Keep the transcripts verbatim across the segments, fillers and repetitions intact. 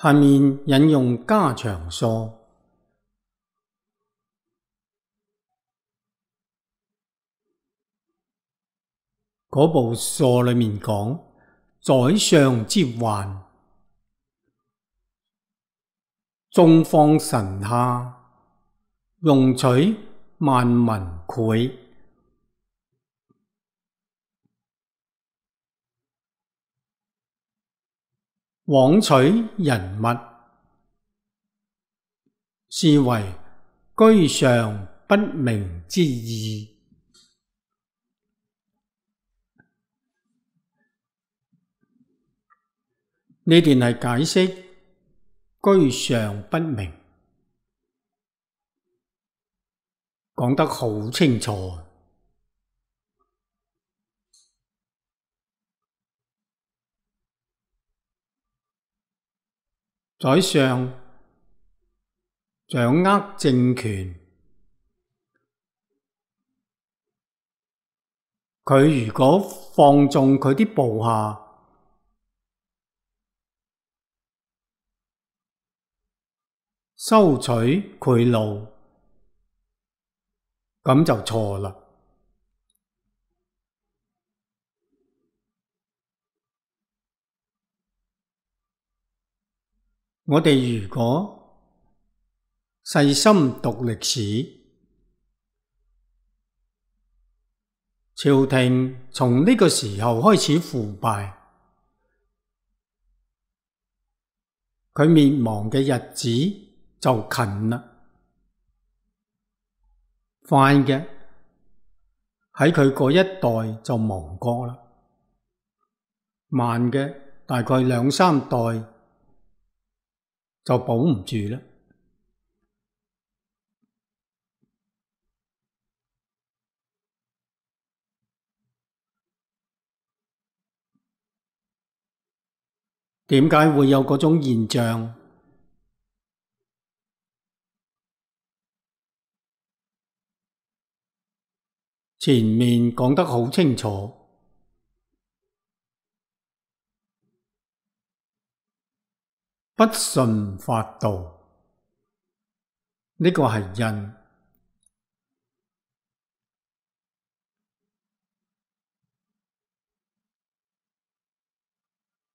下面引用家常疏。嗰部疏裏面講宰相之患，眾放臣下，容取萬民侮。枉取人物，是為居上不明之意。呢段係解釋居上不明，講得好清楚。宰相掌握政權，佢如果放縱佢啲部下，收取賄賂，咁就錯啦。我哋如果細心讀歷史，朝廷從呢個時候開始腐敗，佢滅亡嘅日子就近啦。快嘅喺佢嗰一代就亡國啦，慢嘅大概兩三代就保唔住啦。點解會有嗰種現象？前面講得好清楚，不順法度，呢個係因。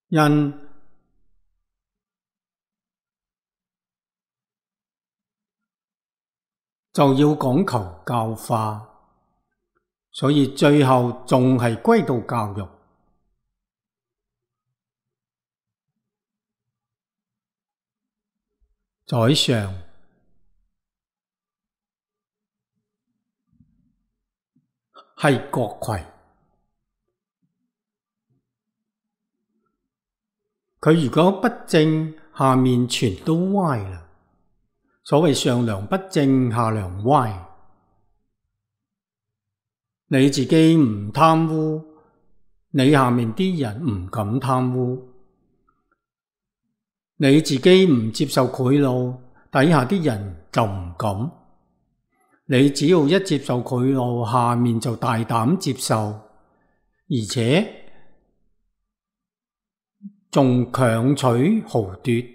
因就要講求教化，所以最後仲係歸到教育。宰相係國魁，佢如果不正，下面全都歪啦。所謂上梁不正下梁歪，你自己唔貪污，你下面啲人唔敢貪污；你自己唔接受賄賂，底下啲人就唔敢。你只要一接受賄賂，下面就大膽接受，而且仲強取豪奪。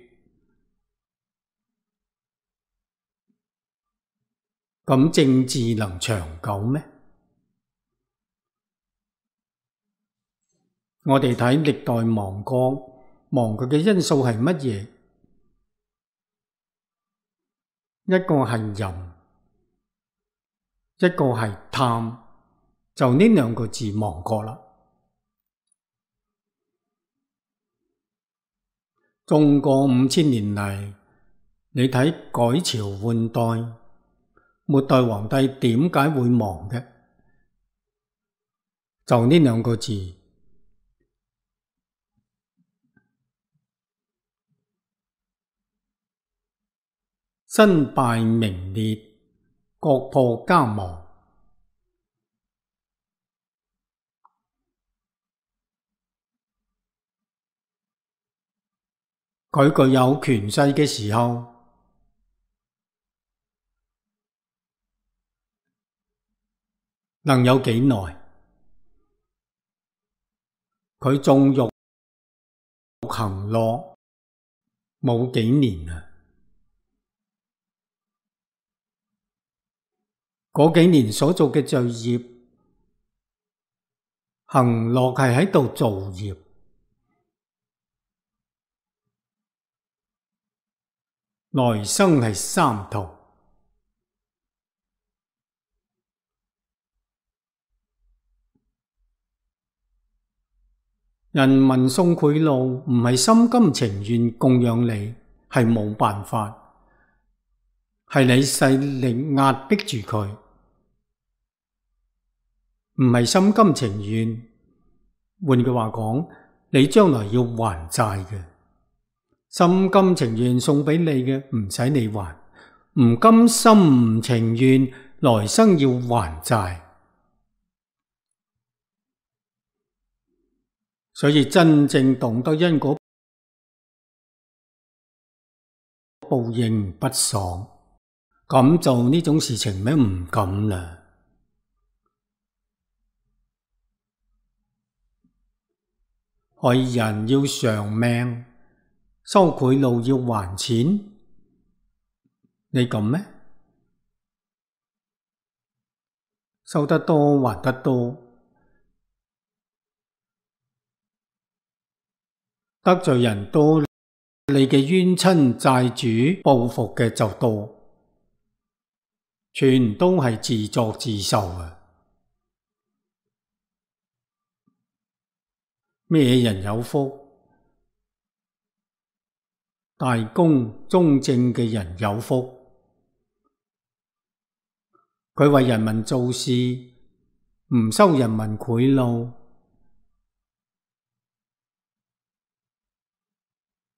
咁政治能長久咩？我哋睇歷代亡國，亡國嘅因素係乜嘢？一個係淫，一個係貪，就呢兩個字亡國啦。中國五千年嚟，你睇改朝換代，末代皇帝點解會亡嘅？就呢兩個字，身敗名裂，國破家亡。佢具有權勢嘅時候，能有幾耐？佢縱欲行樂，冇幾年啦。嗰幾年所做嘅罪業，行樂係喺度造業，來生係三途。人民送賄賂唔係心甘情願供養你，係冇辦法，係你勢力壓迫住佢，唔係心甘情願。換句話講，你將來要還債嘅，心甘情願送俾你嘅唔使你還，唔甘心唔情願來生要還債。所以真正懂得因果報應不爽，咁做呢種事情咩唔敢啦。害人要償命，收賄賂要還錢，你敢咩？收得多還得多，得罪人多，你嘅冤親債主報復嘅就多，全都係自作自受啊！咩人有福？大公忠正嘅人有福，佢為人民做事，唔收人民賄賂，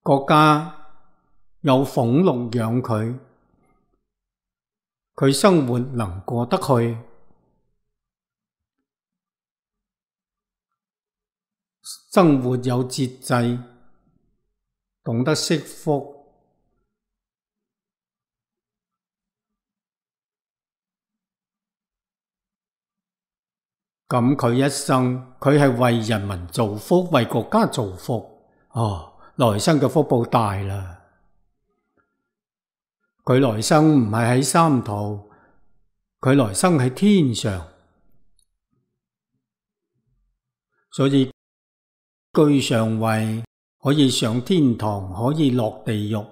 國家有俸祿養佢，佢生活能過得去，生活有節制，懂得惜福，咁佢一生佢係為人民造福，為國家造福，哦，來生嘅福報大啦。佢來生唔係喺三途，佢來生喺天上，所以居上位，可以上天堂，可以落地獄，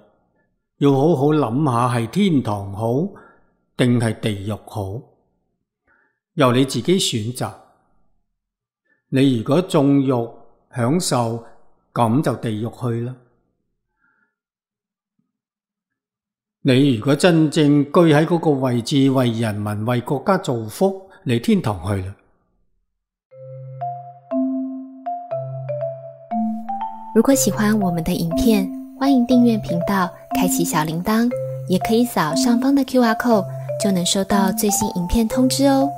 要好好諗下係天堂好定係地獄好，由你自己選擇。你如果縱慾享受，咁就地獄去啦。你如果真正居喺嗰個位置，為人民為國家造福，你天堂去啦。如果喜歡我們的影片，歡迎訂閱頻道，開啟小鈴鐺，也可以掃上方的 Q R code，就能收到最新影片通知哦。